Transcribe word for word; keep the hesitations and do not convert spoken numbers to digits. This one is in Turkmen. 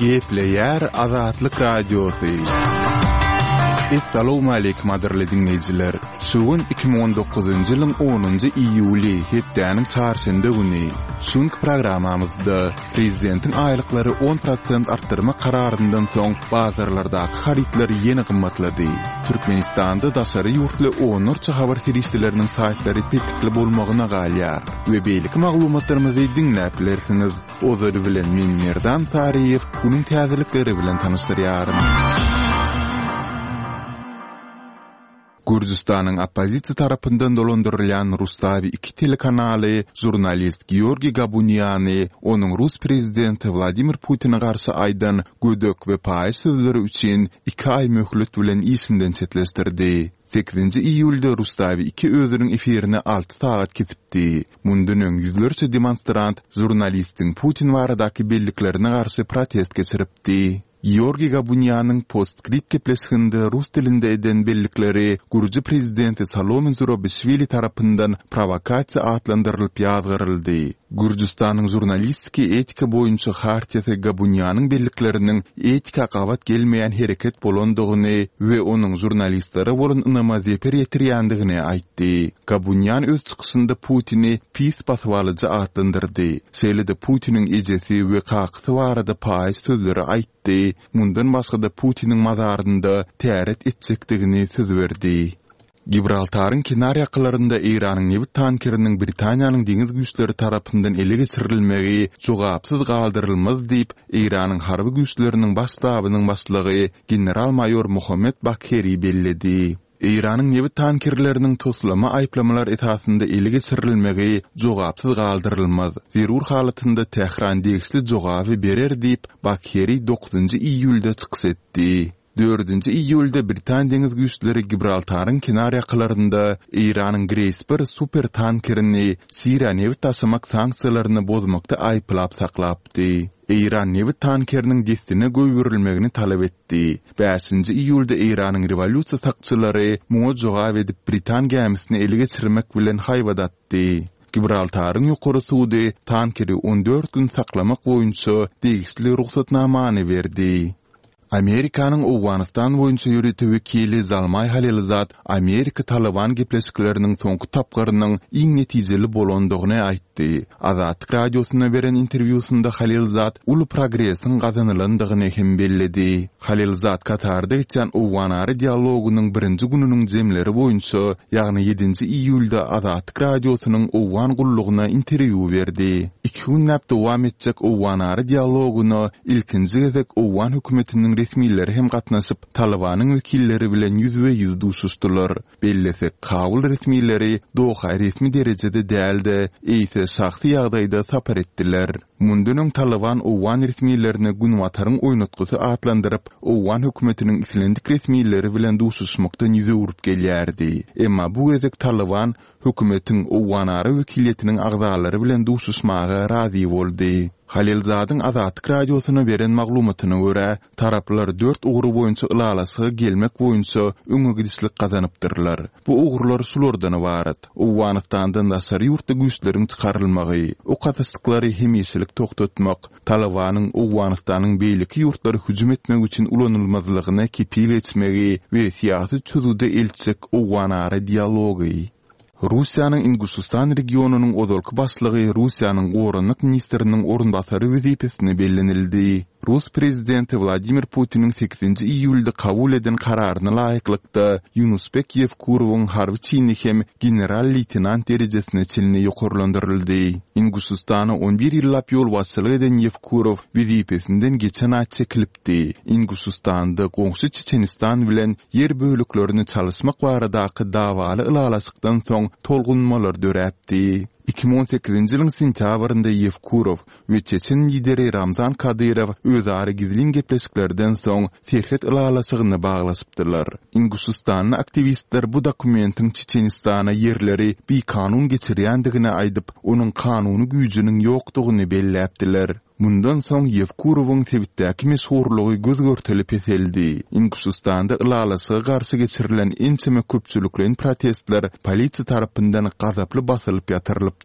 Gepleýär Azatlyk Radiosy. Essalawmaleýkim gadyrly diňleýjiler! Şu gün iki müň on dokuzynjy ýylyň onunjy iýuly, hepdäniň çarşenbe güni. Şu günki programmamyzda Prezidentiň aýlyklary on prosent artdyrmak kararyndan soň bazarlardaky harytlar ýene gymmatlady. Türkmenistanda daşary ýurtly onlarça habar serişdeleriniň saýtlary petikli bolmagyna galýar we beýleki maglumatlarymyzy diňläp bilersiňiz. Ozaly bilen men Merdan Saryýew günüň täzelikleri bilen tanyşdyrýaryn. Gürjüstanyň oppozisiýa tarapyndan dolandyrylýan Rustawi iki telekanaly žurnalist Georgiý Gabuniany onuň rus prezidenti Wladimir Putine garşy aýdan gödek we paýyş sözleri üçin iki aý möhlet bilen işinden çetleşdirdi. Sekizinji iýulda Rustawi iki özüniň efirini alty sagat kesipdi. Mundan öň ýüzlerçe demonstrant žurnalistiň Putin baradaky belliklerine garşy protest geçiripdi. Georgiý Gabunianyň Postscript gepleşiginde rus dilinde eden bellikleri gürji prezidenti Salome Zurabişwili tarapyndan prowokasiýa atlandyrylyp ýazgaryldy. Gürjüstanyň žurnalistiki etika boýunça hartiýasy Gabunianyň bellikleriniň etika gabat gelmeýän hereket bolandygyny we onuň žurnalistlere bolan ynama zeper ýetirýändigini aýtdy. Gabunian öz çykyşynda Putini pis basybalyjy atlandyrdy, şeýle-de Putiniň ejesi we kakasy barada paýyş sözleri aýtdy, mundan başga-da Putiniň mazarynda täret etjekdigini söz berdi. Gibraltaryň kenar ýakalarynda Eýranyň nebit tankeriniň Britaniýanyň deňiz güýçleri tarapyndan ele geçirilmegi jogapsyz galdyrylmaz diýip, Eýranyň harby güýçleriniň baş ştabynyň başlygy general-maýor Mohammed Bagheri belledi. Eýranyň nebit tankerleriniň toslama aýyplamalar esasynda ele geçirilmegi jogapsyz galdyrylmaz. Zerur halatynda Tähran degişli jogaby berer diýip, Bagheri dokuzynjy iýulda çykyş etdi. Dördünji iýulda britan deňiz güýçleri Gibraltaryň kenar ýakalarynda Eýranyň Grace bir super tankerini Siriýa nebit daşamak sanksiýalaryny bozmakda aýyplap saklapdy. Eýran nebit tankeriniň dessine goýberilmegini talap etdi. Bäşinji iýulda Eýranyň rewolýusiýa sakçylary muňa jogap edip britan gämisini ele geçirmek bilen haýbat atdy. Gibraltaryň ýokary sudy tankeri on dört gün saklamak boýunça degişli rugsatnamany berdi. Amerikanyň Owganystan boýunça ýörite wekili Zalmaý Halilzad Amerika-Talyban gepleşikleriniň soňky tapgyrynyň iň netijeli bolandygyny aýtdy. Azatlyk Radiosyna beren interwýusynda Halilzad uly progresiň gazanylandygyny hem belledi. Halilzad Katarda geçýän owganara dialogynyň birinji gününiň jemleri boýunça, ýagny ýedinji iýulda Azatlyk Radiosynyň Owgan gullugyna interwýu berdi. Iki günläp dowam etjek owganara dialogyna ilkinji gezek owgan hökümetiniň resmileri hem gatnaşyp, Talybanyň wekilleri bilen ýüzbe-ýüz duşuşdylar. Bellesek, Kabul resmileri Doha resmi derejede däl-de, eýse şahsy ýagdaýda sapar etdiler. Mundan öň Talyban owgan resmilerini Günbataryň oýnatgysy atlandyryp, owgan hökümetiniň islendik resmileri bilen duşuşmakdan ýüz öwrüp gelýärdi. Emma bu gezek Talyban hökümetiň owganara wekiliýetiniň agzalary bilen duşuşmaga razy boldy. Halilzadyň Azatlyk Radiosyna beren maglumatyna görä, taraplar dört ugur boýunça ylalaşyga gelmek boýunça öňe gidişlik gazanypdyrlar. Bu ugurlar şulardan ybarat: Owganystandan daşary ýurtly güýçleriň çykarylmagy, ok atyşyklary hemişelik togtatmak, Talybanyň Owganystanyň beýleki ýurtlara hüjüm etmek üçin ulanylmazlygyna kepil geçmegi we syýasy çözgüde eltjek owganara dialogy. Russiýanyň Inguşystan regionynyň ozalky başlygy Russiýanyň goranmak ministriniň orunbasary wezipesine bellenildi. Rus prezidenti Wladimir Putiniň sekizinji iýulda kabul eden kararyna laýyklykda, Ýunusbek Ýewkurowyň harby çini hem general-leýtenant derejesine çenli ýokarlandyryldy. Inguşystana on bir ýyllap ýolbaşçylyk eden Ýewkurow wezipesinden geçen aý çekilipdi. Inguşystanda goňşy Çeçenistan bilen ýer böleklerini çalyşmak baradaky dawaly ylalaşykdan soň tolgunmalar döräpdi. Iki müň on sekizinji ýylyň sentýabrynda Ýewkurow we çeçen lideri Ramzan Kadyrow özara gizlin gepleşiklerden soň serhet ylalaşygyny baglaşypdylar. Inguşystanly aktiwistler bu dokumentiň Çeçenistana ýerleri bikanun geçirýändigini aýdyp, onuň kanuny güýjüniň ýokdugyny belläpdiler. Mundan soň Ýewkurowyň sebitdäki meşhurlygy göz-görtele peseldi. Inguşystanda ylalaşyga garşy geçirilen ençeme köpçülikleýin protestler polisiýa tarapyndan gazaply basylyp ýatyrylypdy.